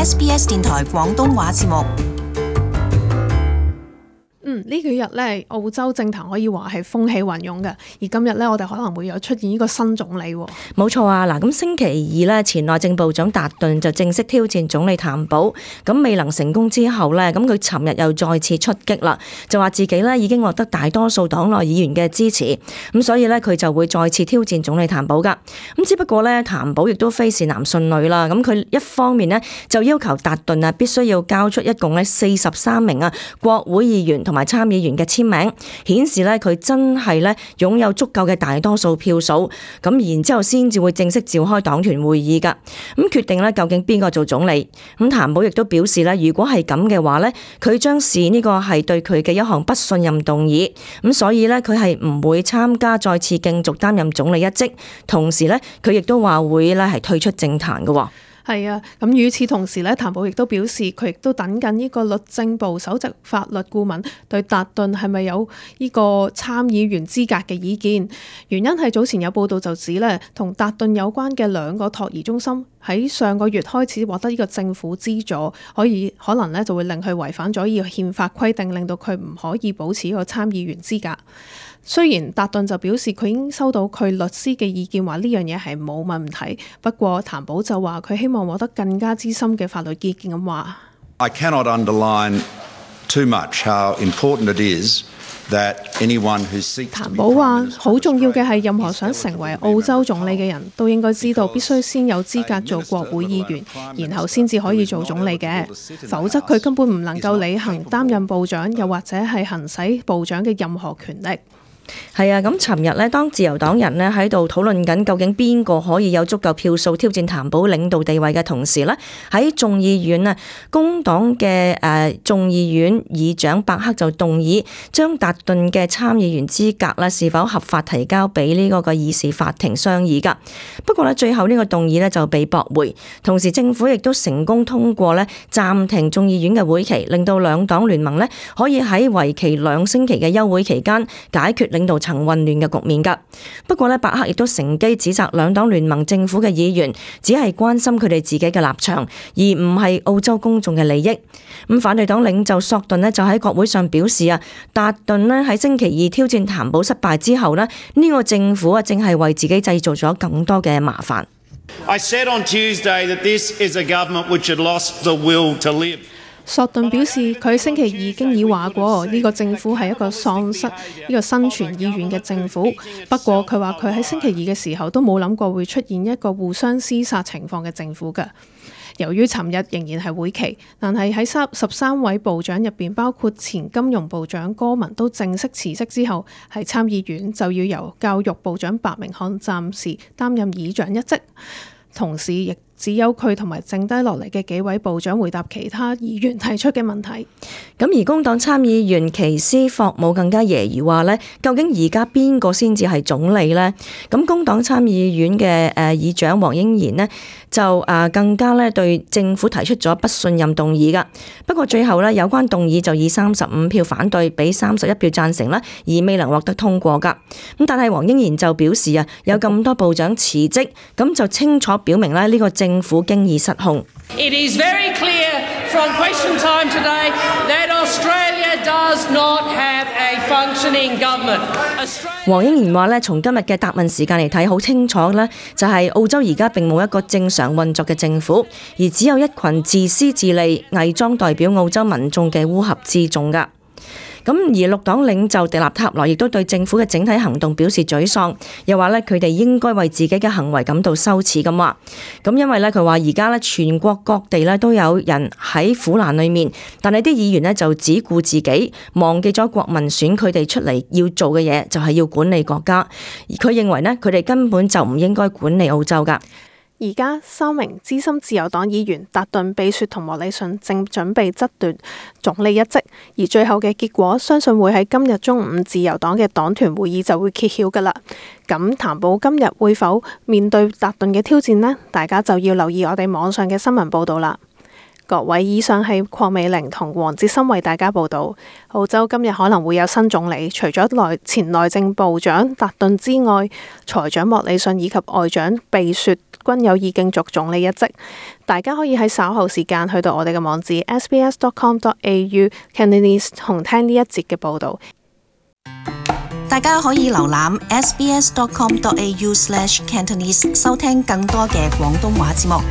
SBS 電台廣東話節目。呢幾日咧，澳洲政壇可以話係風起雲湧嘅，而今日咧，我哋可能會有出現呢個新總理喎。冇錯啊！嗱，咁星期二咧，前內政部長達頓就正式挑戰總理譚寶，咁未能成功之後咧，咁佢尋日又再次出擊啦，就話自己咧已經獲得大多數黨內議員嘅支持，咁所以咧佢就會再次挑戰總理譚寶噶。咁只不過咧，譚寶亦都非是男信女啦，咁佢一方面呢，就要求達頓啊必須要交出一共咧43名啊國會議員同埋參議員嘅簽名，顯示咧佢真係咧擁有足夠嘅大多數票數，咁然之後先至會正式召開黨團會議噶，咁決定咧究竟邊個做總理。咁譚寶亦都表示咧，如果係咁嘅話咧，佢將視呢個係對佢嘅一項不信任動議，咁所以咧佢係唔會參加再次競逐擔任總理一職，同時咧佢亦都話會咧係退出政壇嘅。係啊，咁與此同時咧，譚寶亦都表示佢亦都等緊呢個律政部首席法律顧問對達頓係咪有呢個參議員資格嘅意見。原因係早前有報道就指咧，同達頓有關嘅2個托兒中心喺上個月開始獲得呢個政府資助，可能咧就會令佢違反咗呢個憲法規定，令到佢唔可以保持呢個參議員資格。雖然達頓就表示佢已經收到佢律師嘅意見，話呢樣嘢係冇問題，不過譚寶就話佢希望獲得更加資深嘅法律意見咁話。I cannot underline too much how important it is that anyone who seeks to be。譚寶話好重要嘅係任何想成為澳洲總理嘅人都應該知道必須先有資格做國會議員，然後先至可以做總理嘅，否則佢根本唔能夠履行擔任部長又或者係行使部長嘅任何權力。係啊，咁尋日咧，當自由黨人咧喺度討論緊究竟邊個可以有足夠票數挑戰譚寶領導地位嘅同時咧，喺眾議院啊，工黨嘅眾議院議長伯克就動議將達頓嘅參議員資格咧是否合法提交俾呢個議事法庭商議噶。不過咧，最後呢個動議咧就被駁回，同時政府亦都成功通過咧暫停眾議院嘅會期，令到兩黨聯盟咧可以喺為期2星期嘅休會期間解決領導層混亂嘅局面噶。不過咧，伯克亦都乘機指責兩黨聯盟政府嘅議員只係關心佢哋自己嘅立場，而唔係澳洲公眾嘅利益。咁反對黨領袖索頓咧就喺國會上表示啊，達頓咧喺星期二挑戰譚寶失敗之後咧，呢個政府啊正係為自己製造咗更多嘅麻煩。I said on Tuesday that this is a government which had lost the will to live。索頓表示，佢星期二已經已話過，呢個政府係一個喪失呢個生存意願嘅政府。不過佢話佢喺星期二嘅時候都冇諗過會出現一個互相廝殺情況嘅政府㗎。由於尋日仍然係會期，但係喺13位部長入邊，包括前金融部長戈文都正式辭職之後，喺參議院就要由教育部長白明漢暫時擔任議長一職，同時亦只有佢同埋剩低落嚟嘅幾位部長回答其他議員提出嘅問題。咁而工黨參議員奇斯霍姆更加揶揄話呢，究竟而家邊個先至係總理呢？咁工黨參議院嘅議長黃英賢呢，就更加咧對政府提出咗不信任動議噶。不過最後咧有關動議就以35票反對，比31票贊成啦，而未能獲得通過噶。咁但係黃英賢就表示啊，有咁多部長辭職，咁就清楚表明咧呢個政府經已失控。It is very clear from question time today that Australia does not have a functioning government. 黃英賢話咧，從今日嘅答問時間嚟睇，好清楚咧，就係澳洲而家並冇一個正常運作嘅政府，而只有一群自私自利、偽裝代表澳洲民眾嘅烏合之眾噶。咁而綠黨領袖迪納塔羅亦都對政府嘅整體行動表示沮喪，又話咧佢哋應該為自己嘅行為感到羞恥咁話。咁因為咧佢話而家咧全國各地咧都有人喺苦難裏面，但係啲議員咧就只顧自己，忘記咗國民選佢哋出嚟要做嘅嘢，就係要管理國家。而佢認為咧佢哋根本就唔應該管理澳洲噶。而家3名資深自由黨議員達頓、比雪同莫里遜正準備爭奪總理一職，而最後嘅結果相信會喺今日中午自由黨嘅黨團會議就會揭曉㗎喇。咁譚寶今日會否面對達頓嘅挑戰呢？大家就要留意我哋網上嘅新聞報導啦。各位，以上係鄺美玲同黃哲森為大家報道。澳洲今日可能會有新總理，除咗前內政部長達頓之外，財長莫里遜以及外長貝雪均有意競逐總理一職。大家可以喺稍後時間去到我哋嘅網址 sbs.com.au Cantonese 同聽呢一節嘅報道。大家可以瀏覽 sbs.com.au/Cantonese 收聽更多嘅廣東話節目。